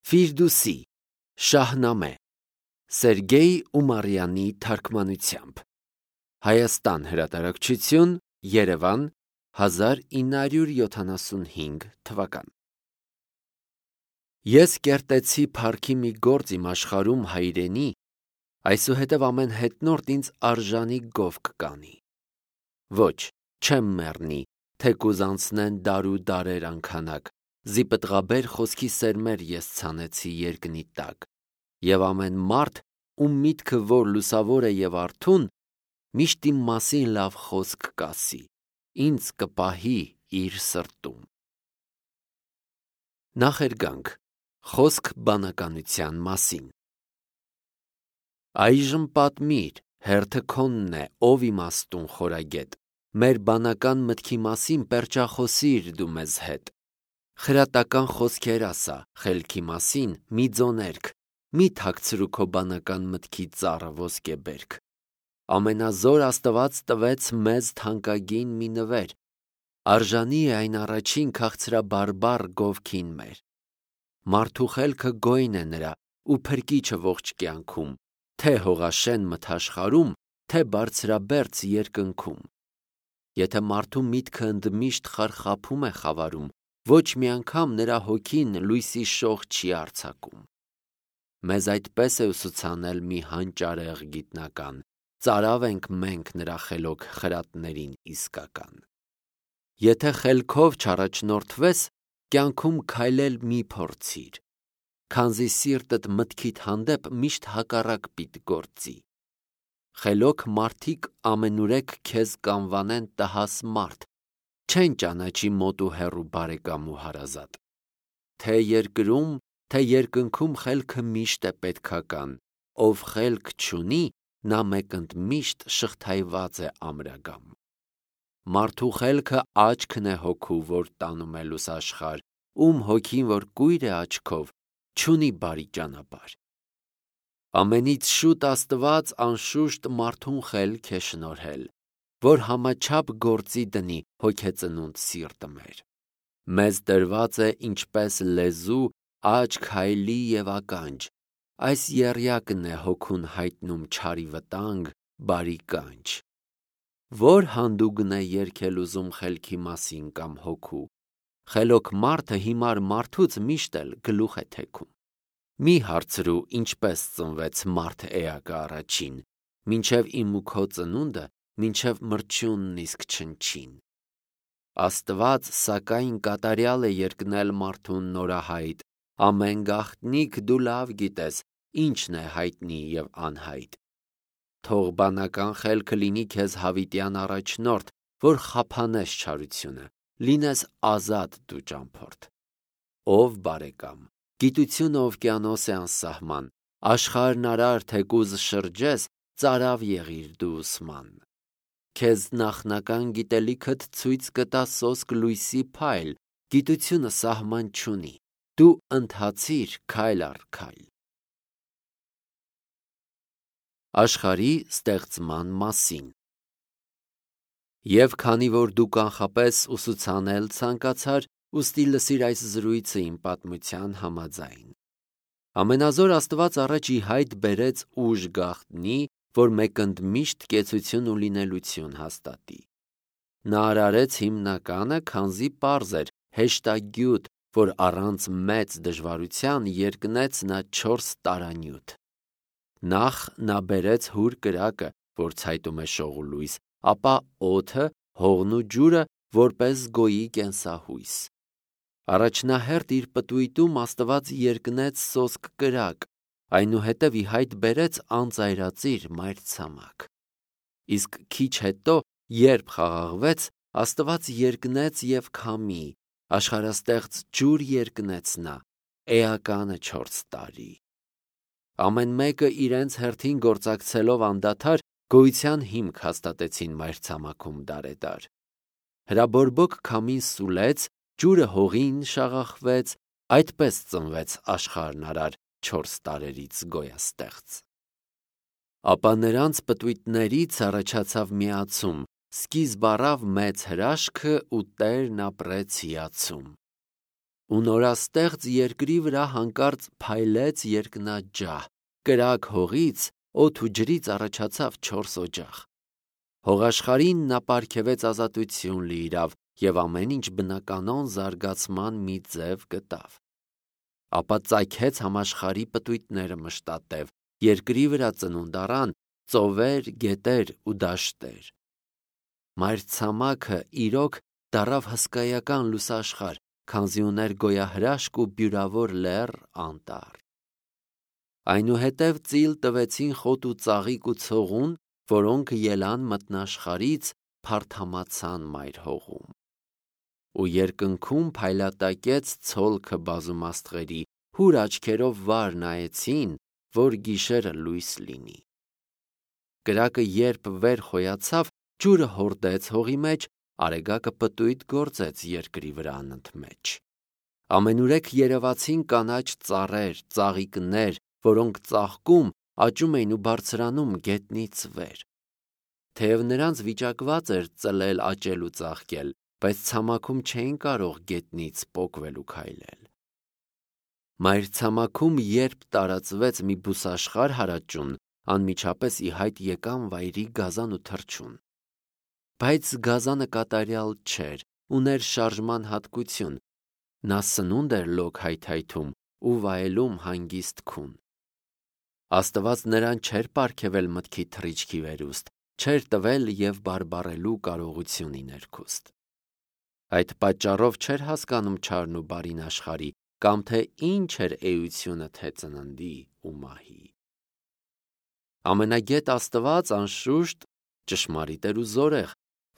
Ֆիրդուսի, Շահնամե, Սերգեյ Ումարյանի թարգմանությամբ, Հայաստան հրատարակչություն, Երևան, 1975 թվական։ Ես կերտեցի փառքի մի գործ իմ աշխարհում հայրենի, այսուհետև ամեն հետնորդ ինձ արժանի գովք կանի։ Ոչ, չեմ մեռնի, թեկուզ անցնեն դար ու դարեր անքանակ, զիպտղաբեր խոսքի սերմեր ես ցանեցի երկնի տակ, և ամեն մարդ, ում միտքը որ լուսավոր է և արթուն, միշտ իմ մասին լավ խոսք կասի, ինձ կպահի իր սրտում։ Նախերգանք, խոսք բանականության մասին։ Այժմ պատմիր, հերթը քոնն է, ով իմաստուն խորագետ, մեր բանական մտքի մասին պերճախոսիր դու մեզ հետ, խրատական խոսքեր ասա, խելքի մասին մի ձոներք, մի թաքցրու քո բանական մտքի ծառը ոսկեբերք։ Ամենազոր Աստված տվեց մեզ թանկագին մի նվեր, արժանի է այն առաջին քաղցրաբարբառ գովքին մեր։ Մարդու խելքը գոյն է նրա ու փրկիչը ողջ կյանքում, թե հողաշեն մթաշխարհում, թե բարձրաբերձ երկնքում։ Եթե մարդու միտքը ընդմիշտ խարխափում է խավարում, ոչ մի անգամ նրա հոգին լույսի շող չի արձակում։ Մեզ այդպես է ուսուցանել մի հանճարեղ գիտնական, ծարավ ենք մենք նրա խելոք խրատներին իսկական։ Եթե խելքով չառաջնորդվես, կյանքում քայլել մի փորձիր, քանզի սիրտդ մտքիդ հանդեպ միշտ հակառակ պիտի գործի։ Խելոք մարդիկ ամենուրեք քեզ կանվանեն տհաս մարդ, չեն ճանաչի մոտ ու հեռու բարեկամ ու հարազատ։ Թե երկրում, թե երկնքում խելքը միշտ է պետքական, ով խելք չունի, նա մեկընդ միշտ շղթայված է ամրագամ։ Մարդու խելքը աչքն է հոգու, որ տանում է լուսաշխար, ում հոգին որ կույր է աչքով, չունի բարի ճանապարհ։ Ամենից շուտ Աստված անշուշտ մարդուն խելք է շնորհել, որ համաչափ գործի դնի հոգեծնունդ սիրտը մեր։ Մեզ տրված է ինչպես լեզու, աչք, հայլի և ականջ, այս եռյակն է հոգուն հայտնում չարի վտանգ, բարի կանչ։ Ո՞ր հանդուգն է երգել ուզում խելքի մասին կամ հոգու, խելոք մարդը հիմար մարդուց միշտ էլ գլուխ է թեքում։ Մի հարցրու ինչպես ծնվեց մարդ էակը առաջին, մինչև իմ ու քո ծնունդը, մինչև մրջյունն իսկ չնչին։ Աստված սակայն կատարյալ է երկնել մարդուն նորահայտ, ամեն գաղտնիք դու լավ գիտես, ինչն է հայտնի և անհայտ։ Թող բանական խելքը լինի քեզ հավիտյան առաջնորդ, որ խափանես չարությունը, լինես ազատ դու ճամփորդ։ Ով բարեկամ, գիտությունը օվկիանոս է անսահման, աշխարհն արար թեկուզ շրջես, ծարավ եղիր դու ուսման։ Քեզ նախնական գիտելիքդ ցույց կտա սոսկ լույսի փայլ, գիտությունը սահման չունի, դու ընթացիր քայլ առ քայլ։ Աշխարհի ստեղծման մասին։ Եվ քանի որ դու կանխապես ուսուցանել ցանկացար, ուստի լսիր այս զրույցը իմ պատմության համաձայն։ Ամենազոր Աստված առաջ ի հայտ բերեց ուժ գաղտնի, որ մեկընդ միշտ կեցություն ու լինելություն հաստատի։ Նա արարեց հիմնականը, քանզի պարզ էր, հեշտագյուտ, որ առանց մեծ դժվարության երկնեց նա 4 տարանյութ։ Նախ նա բերեց հուր կրակը, որ ցայտում է շող ու լույս, ապա օդը, հողն ու ջուրը, որպես գոյի կենսահույս։ Առաջնահերթ իր պտույտում Աստված երկնեց սոսկ կրակ, այնուհետև ի հայտ բերեց անծայրածիր մայրցամաք։ Իսկ քիչ հետո, երբ խաղաղվեց, Աստված երկնեց և քամի, աշխարհաստեղծ ջուր երկնեց նա, էականը 4 տարի։ Ամեն մեկը իրենց հերթին գործակցելով անդադար գոյության հիմք հաստատեցին մայրցամաքում դարեդար։ Հրաբորբոք քամին սուլեց, ջուրը հողին շաղախվեց, այդպես ծնվեց աշխարհն արար 4 տարերից գոյաստեղծ։ Ապա նրանց պտույտներից առաջացավ միացում, սկիզբ առավ մեծ հրաշքը ու Տերն ապրեց հիացում։ ու նորաստեղծ երկրի վրա հանկարծ փայլեց երկնաջահ, կրակ հողից, օդ ու ջրից առաջացավ 4 օջախ։ Հողաշխարհին նա պարգևեց ազատություն լիիրավ և ամեն ինչ բնականոն զարգացման մի ձև գտավ։ Ապա ծագեց համաշխարհի պտույտները մշտատև, երկրի վրա ծնունդ առան ծովեր, գետեր ու դաշտեր։ Մայրցամաքը իրոք դառավ հսկայական լուսաշխարհ, քանզի ուներ գոյահրաշք ու բյուրավոր լեռ, անտառ։ Այնուհետև ծիլ տվեցին խոտ ու ծաղիկ ու ցողուն, որոնք ելան մտնաշխարհից, փարթամացան մայր հողում։ Ու երկնքում փայլատակեց ցոլքը բազում աստղերի, հուր աչքերով վար նայեցին, որ գիշերը լույս լինի։ Կրակը երբ վեր խոյացավ, ջուրը հորդեց հողի մեջ, արեգակը պտույտ գործեց երկրի վրա անընդմեջ։ Ամենուրեք երևացին կանաչ ծառեր, ծաղիկներ, որոնք ծաղկում, աճում էին ու բարձրանում գետնից վեր։ Թեև նրանց վիճակված էր ծլել, աճել ու ծաղկել, բայց ցամաքում չէին կարող գետնից պոկվել ու քայլել։ Մայրցամաքում երբ տարածվեց մի բուսաշխարհ հարաճուն, անմիջապես ի հայտ եկան վայրի գազան ու թռչուն։ Բայց գազանը կատարյալ չէր, ուներ շարժման հատկություն, նա սնունդ էր լոկ հայթայթում ու վայելում հանգիստ քուն։ Աստված նրան չէր պարգևել մտքի թռիչքի վերուստ, չէր տվել և բարբառելու կարողություն ի ներքուստ։ Այդ պատճառով չէր հասկանում չարն ու բարին աշխարհի, կամ թե ինչ էր էությունը թե ծննդի ու մահի։ Ամենագետ Աստված, անշուշտ, ճշմարիտ էր ու զորեղ,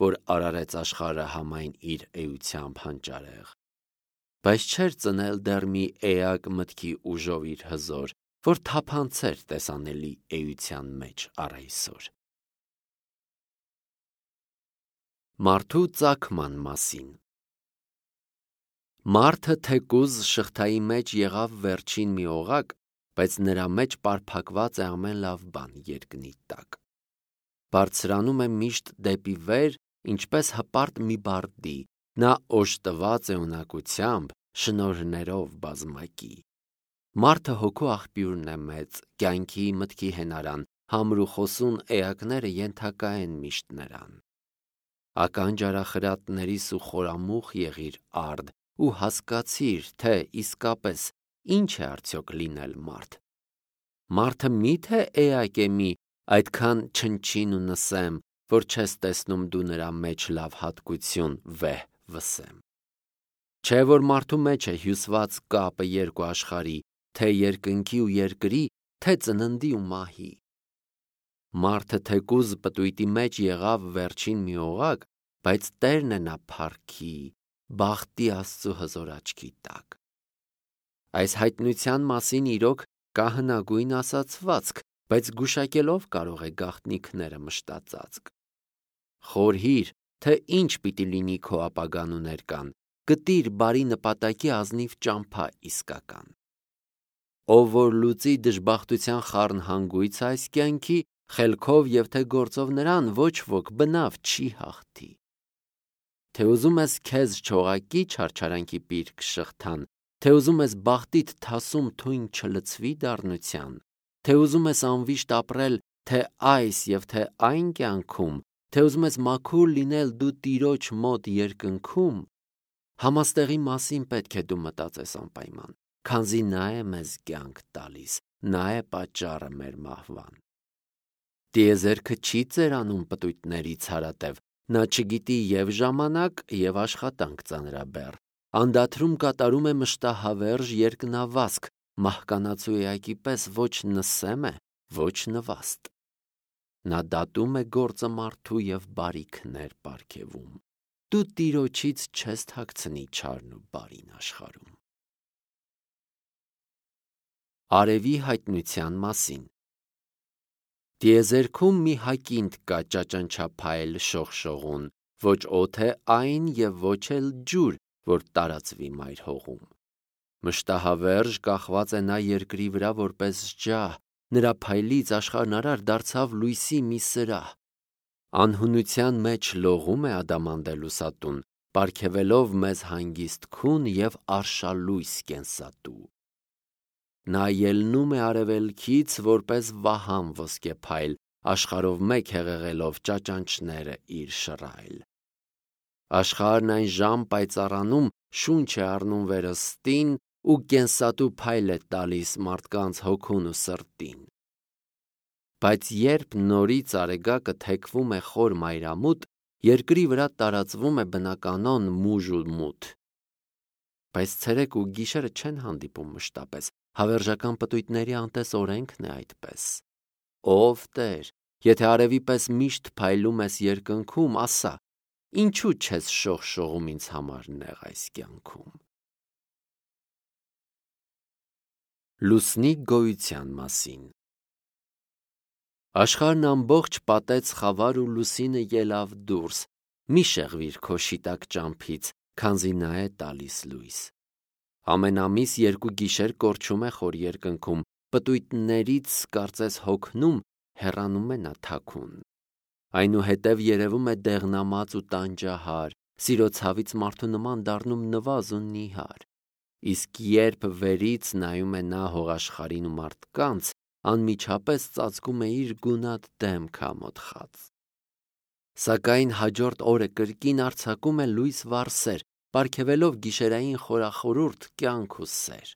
որ արարեց աշխարհը համայն իր էությամբ հանճարեղ, բայց չէր ծնել դեռ մի էակ մտքի ուժով իր հզոր, որ թափանցեր տեսանելի էության մեջ առ այսօր։ Մարդու ծագման մասին։ Մարդը թեկուզ շղթայի մեջ եղավ վերջին մի օղակ, բայց նրա մեջ պարփակված է ամեն լավ բան երկնի տակ։ Բարձրանում է միշտ դեպի վեր, ինչպես հպարտ մի բարդի, նա օժտված է ունակությամբ, շնորհներով բազմակի։ Մարդը հոգու աղբյուրն է մեծ, կյանքի, մտքի հենարան, համր ու խոսուն էակները ենթակա են միշտ նրան։ Ականջ արախրատներիս ու խորամուխ եղիր արդ ու հասկացիր, թե իսկապես ինչ է արդյոք լինել մարդ։ Մարդը միթե էակ է մի այդքան չնչին ու նսեմ, որ չես տեսնում դու նրա մեջ լավ հատկություն վեհ վսեմ։ Չէ որ մարդու մեջ է հյուսված կապը երկու աշխարհի, թե երկնքի ու երկրի, թե ծննդի ու մահի։ Մարդը թեկուզ պտույտի մեջ եղավ վերջին մի օղակ, բայց Տերն է նա փառքի, բախտի Աստծու հզոր աչքի տակ։ Այս հայտնության մասին իրոք կա հնագույն ասացվածք, բայց գուշակելով կարող է գաղտնիքները մշտածածկ։ Խորհիր, թե ինչ պիտի լինի քո ապագան ու ներկան, գտիր բարի նպատակի ազնիվ ճամփա իսկական։ Ով որ լուծի դժբախտության խառն հանգույց այս կյանքի, խելքով և թե գործով նրան ոչ ոք բնավ չի հաղթի։ Թե ուզում ես քեզ չողակի չարչարանքի պիրկ շղթան, թե ուզում ես բախտիդ թասում թույն չլցվի դառնության, թե ուզում ես անվիշտ ապրել թե այս և թե այն կյանքում, թե ուզում ես մաքուր լինել դու Տիրոջ մոտ երկնքում, համաստեղի մասին պետք է դու մտածես անպայման, քանզի նա է մեզ կյանք տալիս, նա է պատճառը մեր մահվան։ Տիեզերքը չի ծերանում պտույտներից հարատև, նա չգիտի և ժամանակ և աշխատանք ծանրաբեռ, անդադրում կատարում է մշտահավերժ երկնավազք, մահկանացու էակի պես ոչ նսեմ է, ոչ նվաստ։ Նա դատում է գործը մարդու և բարիքներ պարգևում։ Դու Տիրոջից չես թաքցնի չարն ու բարին աշխարհում։ Արևի հայտնության մասին։ Տիեզերքում մի հակինդ կա ճաճանչափայլ շողշողուն, ոչ օդ է այն և ոչ էլ ջուր, որ տարածվի մայր հողում։ Մշտահավերժ կախված է նա երկրի վրա որպես ջահ, նրա փայլից աշխարհն արար դարձավ լույսի մի սրահ։ Անհունության մեջ լողում է ադամանդե լուսատուն, պարգևելով մեզ հանգիստ քուն և արշալույս կենսատու։ Նա ելնում է արևելքից որպես վահան ոսկեփայլ, աշխարհով մեկ հեղեղելով ճաճանճները իր շռայլ։ Աշխարհն այն ժամ պայծառանում, շունչ է առնում վերստին ու կենսատու փայլ է տալիս մարդկանց հոգուն ու սրտին։ Բայց երբ նորից արեգակը թեքվում է խոր մայրամուտ, երկրի վրա տարածվում է բնականոն մուժ ու մութ։ Բայց ցերեկ ու գիշերը չեն հանդիպում մշտապես, հավերժական պտույտների անտես օրենքն է այդպես։ Ով Տեր, եթե արևի պես միշտ փայլում ես երկնքում, ասա, ինչու չես շողշողում ինձ համար նեղ այս կյանքում։ Լուսնի գոյության մասին։ Աշխարհն ամբողջ պատեց խավար ու լուսինը ելավ դուրս, մի շեղվիր քո շիտակ ճամփից, քանզի նա է տալիս լույս։ Ամեն ամիս երկու գիշեր կորչում է խոր երկնքում, պտույտներից կարծես հոգնում, հեռանում է նա թաքուն։ Այնուհետև երևում է դեղնամած ու տանջահար, սիրո ցավից մարդու նման դառնում նվազ ու նիհար։ Իսկ երբ վերից նայում է նա հողաշխարհին ու մարդկանց, անմիջապես ծածկում է իր գունատ դեմքը ամոթխած։ Սակայն հաջորդ օրը կրկին արձակում է լույս վառսեր, պարգևելով գիշերային խորախորուրդ կյանք ու սեր։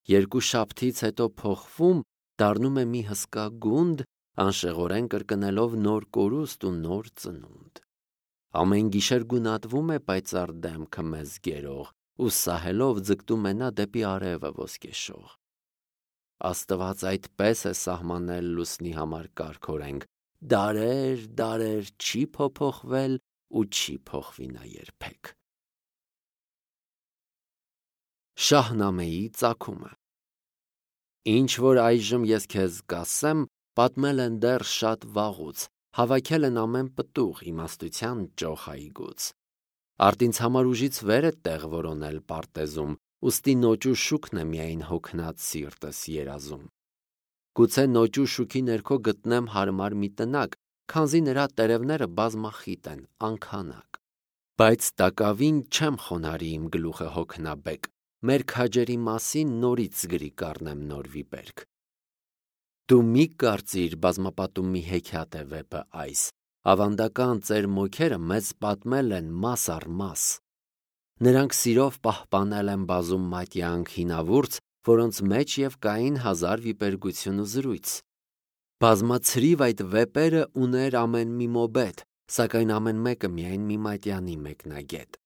Երկու շաբթից հետո փոխվում, դառնում է մի հսկա գունդ, անշեղորեն կրկնելով նոր կորուստ ու նոր ծնունդ։ Ամեն գիշեր գունատվում է պայծառ դեմքը մեզ գերող, ու սահելով ձգտում է նա դեպի արևը ոսկեշող։ Աստված այդպես է սահմանել լուսնի համար կարգօրենք, դարեր, դարեր չի փոփոխվել ու չի փոխվի նա երբեք։ Շահնամեի ծագումը։ Ինչ որ այժմ ես քեզ կասեմ, պատմել են դեռ շատ վաղուց, հավաքել են ամեն պտուղ իմաստության ճոխ այգուց։ Արդ ինձ համար ուժից վեր է տեղ որոնել պարտեզում, ուստի նոճու շուքն է միայն հոգնած սիրտս երազում։ Գուցե նոճու շուքի ներքո գտնեմ հարմար մի տնակ, քանզի նրա տերևները բազմախիտ են, անքանակ։ Բայց տակավին չեմ խոնարհի իմ գլուխը հոգնաբեկ, մեր քաջերի մասին նորից գրի կառնեմ նոր վիպերք։ Դու մի կարծիր բազմապատում մի հեքիաթ է վեպը այս, ավանդական ծեր մոգերը մեզ պատմել են մաս առ մաս։ Նրանք սիրով պահպանել են բազում մատյանք հինավուրց, որոնց մեջ և կային հազար վիպերգություն ու զրույց։ Բազմացրիվ այդ վեպերը ուներ ամեն մի մոբետ, սակայն ամեն մեկը միայն մի մատյանի մեկնագետ։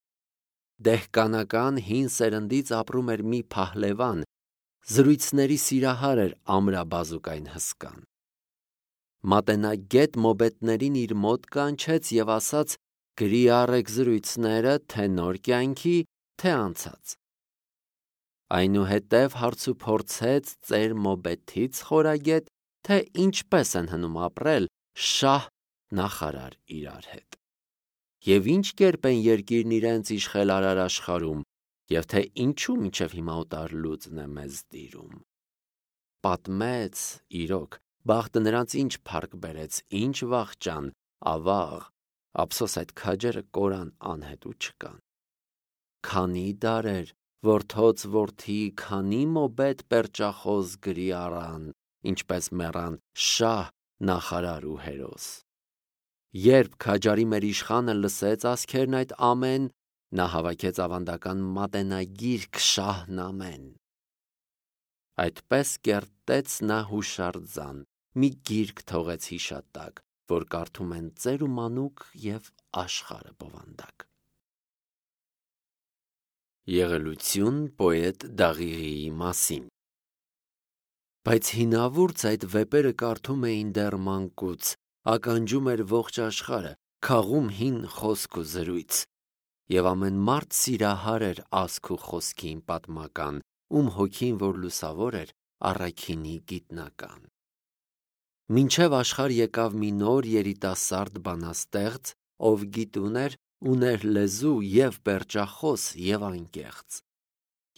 Դեհկանական հին սերնդից ապրում էր մի փահլևան, զրույցների սիրահար էր ամրաբազուկային հսկան։ Մատենագետ մոբետներին իր մոտ կանչեց և ասաց. «Գրի առեք զրույցները թե նոր կյանքի, թե անցած»։ Այնուհետև հարցուփորձեց ծեր մոբեթից խորագետ, թե ինչպես են հնում ապրել շահ նախարար իրար հետ, և ինչ կերպ են երկիրն իրենց իշխել արար աշխարհում, և թե ինչու մինչև հիմա օտար լուծն է մեզ տիրում։ Պատմեց, իրոք, բախտը նրանց ինչ փառք բերեց, ինչ վախճան, ավաղ, ափսոս այդ քաջերը կորան անհետու չկան։ Քանի դարեր, որդոց որդի, քանի մոբետ պերճախոս գրի առան, ինչպես մեռան շահ, նախարար ու հերոս։ Երբ քաջարի մեր իշխանը լսեց ասքերն այդ ամեն, նա հավաքեց ավանդական մատենագիրք շահն ամեն։ Այդպես կերտեց նա հուշարձան, մի գիրք թողեց հիշատակ, որ կարդում են ծեր ու մանուկ և աշխարհը բովանդակ։ Եղելություն պոետ Դաղիղիի մասին։ Բայց հինավուրց այդ վեպերը կարդում էին դեռ մանկուց, ականջում էր ողջ աշխարհը, քաղում հին խոսք ու զրույց, և ամեն մարդ սիրահար էր ասք ու խոսքին պատմական, ում հոգին որ լուսավոր էր, առաքինի գիտնական։ Մինչև աշխարհ եկավ մի նոր երիտասարդ բանաստեղծ, ով գիտուն էր, ուներ լեզու և պերճախոս և անկեղծ։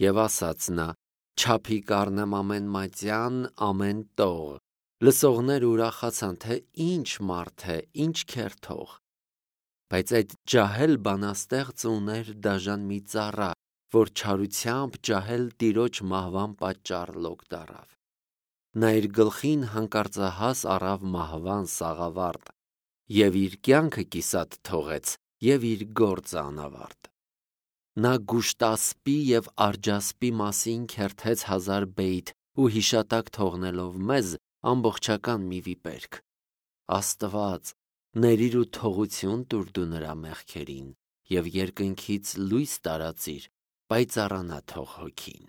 Եվ ասաց նա. «Չափի կառնեմ ամեն մատյան, ամեն տող»։ Լսողները ուրախացան, թե ինչ մարդ է, ինչ քերթող։ Բայց այդ ջահել բանաստեղծը ուներ դաժան մի ծառա, որ չարությամբ ջահել տիրոջ մահվան պատճառ լոկ դառավ։ Նա իր գլխին հանկարծահաս առավ մահվան սաղավարտ, և իր կյանքը կիսատ թողեց, և իր գործը անավարտ։ Նա գուշտասպի և արջասպի մասին քերթեց հազար բեյթ ու հիշատակ թողնելով մեզ ամբողջական մի վիպերք։ Աստված, ներիր ու թողություն տուր դու նրա մեղքերին և երկնքից լույս տարածիր, պայծառանա թող հոգին։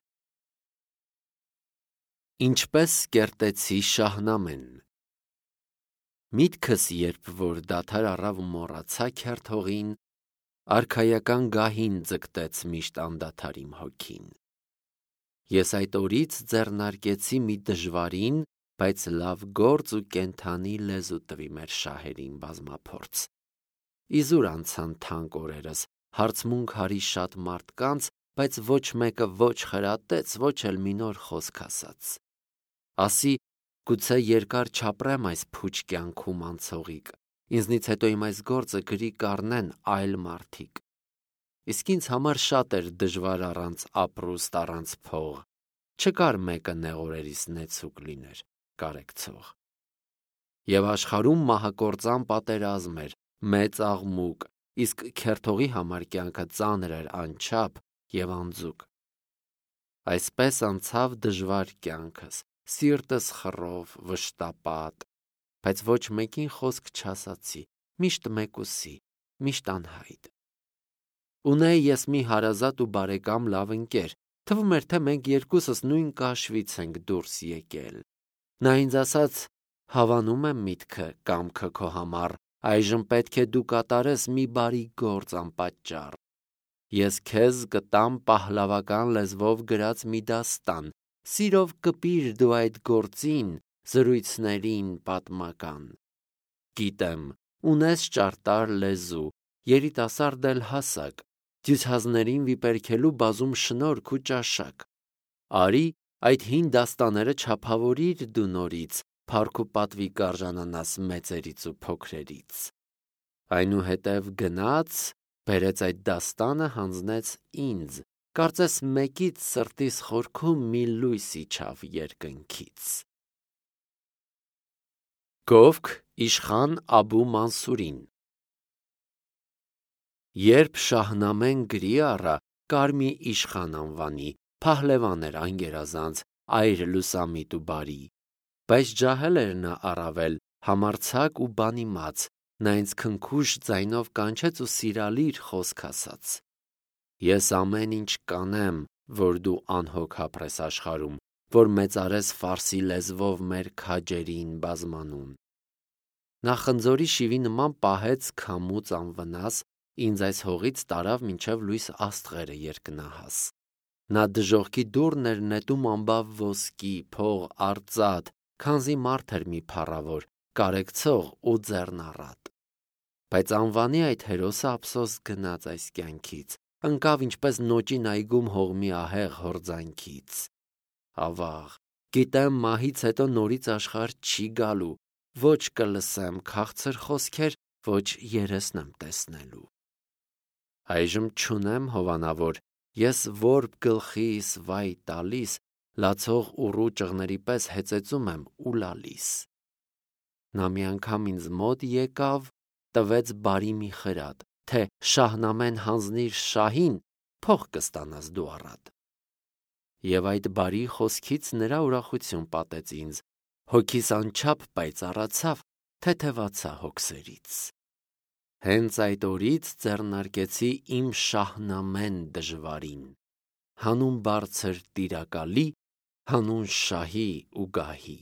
Ինչպես կերտեցի Շահնամեն։ Միտքս երբ որ դադար առավ ու մոռացա քերթողին, արքայական գահին ձգտեց միշտ անդադար իմ հոգին։ Ես այդ օրից ձեռնարկեցի մի դժվարին, բայց լավ գործ ու կենդանի լեզու տվի մեր շահերին բազմափորձ։ Իզուր անցան թանկ օրերս, հարցմունք արի շատ մարդկանց, բայց ոչ մեկը ոչ խրատեց, ոչ էլ մի նոր խոսք ասաց։ Ասի, գուցե երկար չապրեմ այս փուչ կյանքում անցողիկ, ինձնից հետո իմ այս գործը գրի կառնեն այլ մարդիկ։ Իսկ ինձ համար շատ էր դժվար առանց ապրուստ, առանց փող, չկար մեկը նեղորերիս նեցուկ լիներ, կարեկցող։ Եվ աշխարհում մահակործան պատերազմ էր, մեծ աղմուկ, իսկ քերթողի համար կյանքը ծանր էր անչափ և անձուկ։ Այսպես անցավ դժվար կյանքս, սիրտս խռով, վշտապատ, բայց ոչ մեկին խոսք չասացի, միշտ մեկուսի, միշտ անհայտ։ Ունեի ես մի հարազատ ու բարեկամ լավ ընկեր, թվում էր, թե մենք երկուսս նույն կաշվից ենք դուրս եկել։ Նա ինձ ասաց. «Հավանում եմ միտքը, կամքը քո համար, այժմ պետք է դու կատարես մի բարի գործ անպատճառ։ Ես քեզ կտամ պահլավական լեզվով գրած մի դաստան, սիրով կպիր դու այդ գործին, զրույցներին պատմական։ Գիտեմ, ունես ճարտար լեզու, երիտասարդ էլ հասակ, դյուցազներին վիպերքելու բազում շնորհք ու ճաշակ։ Արի այդ հին դաստաները չափավորիր դու նորից, փառք ու պատվի կարժանանաս մեծերից ու փոքրերից։ Այնուհետև գնաց, բերեց այդ դաստանը, հանձնեց ինձ, կարծես մեկից սրտիս խորքում մի լույս իջավ երկնքից»։ Գովք իշխան Աբու Մանսուրին։ Երբ Շահնամեն գրի առա, կար մի իշխան անվանի, փահլևան էր անգերազանց, այր լուսամիտ ու բարի։ Բայց ջահել էր նա առավել, համարձակ ու բանիմաց, նա ինձ քնքուշ ձայնով կանչեց ու սիրալիր խոսք ասաց. «Ես ամեն ինչ կանեմ, որ դու անհոգ ապրես աշխարհում, որ մեծարես ֆարսի լեզվով մեր քաջերին բազմանուն»։ Նա խնձորի շիվի նման պահեց քամուց անվնաս, ինձ այս հողից տարավ մինչև լույս աստղերը երկնահաս։ Նա դժոխքի դուռն էր նետում ամբավ ոսկի, փող, արծաթ, քանզի մարդ էր մի փառավոր, կարեկցող ու ձեռնառատ։ Բայց անվանի այդ հերոսը ափսոս գնաց այս կյանքից, ընկավ ինչպես նոճին այգում հողմի ահեղ հորձանքից։ Ավաղ, գիտեմ մահից հետո նորից աշխարհ չի գալու, ոչ կլսեմ քաղցր խոսքեր, ոչ երեսն եմ տեսնելու։ Այժմ չունեմ հովանավոր, ես որբ գլխիս վայ տալիս, լացող ուռու ճղների պես հեծեծում եմ ու լալիս։ Նա մի անգամ ինձ մոտ եկավ, տվեց բարի մի խրատ, թե Շահնամեն հանձնիր շահին, փող կստանաս դու առատ։ Եվ այդ բարի խոսքից նրա ուրախություն պատեց ինձ, հոգիս անչափ պայծառացավ, թեթևացա հոգսերից։ Հենց այդ օրից ձեռնարկեցի իմ Շահնամեն դժվարին, հանուն բարձր տիրակալի, հանուն շահի ու գահի։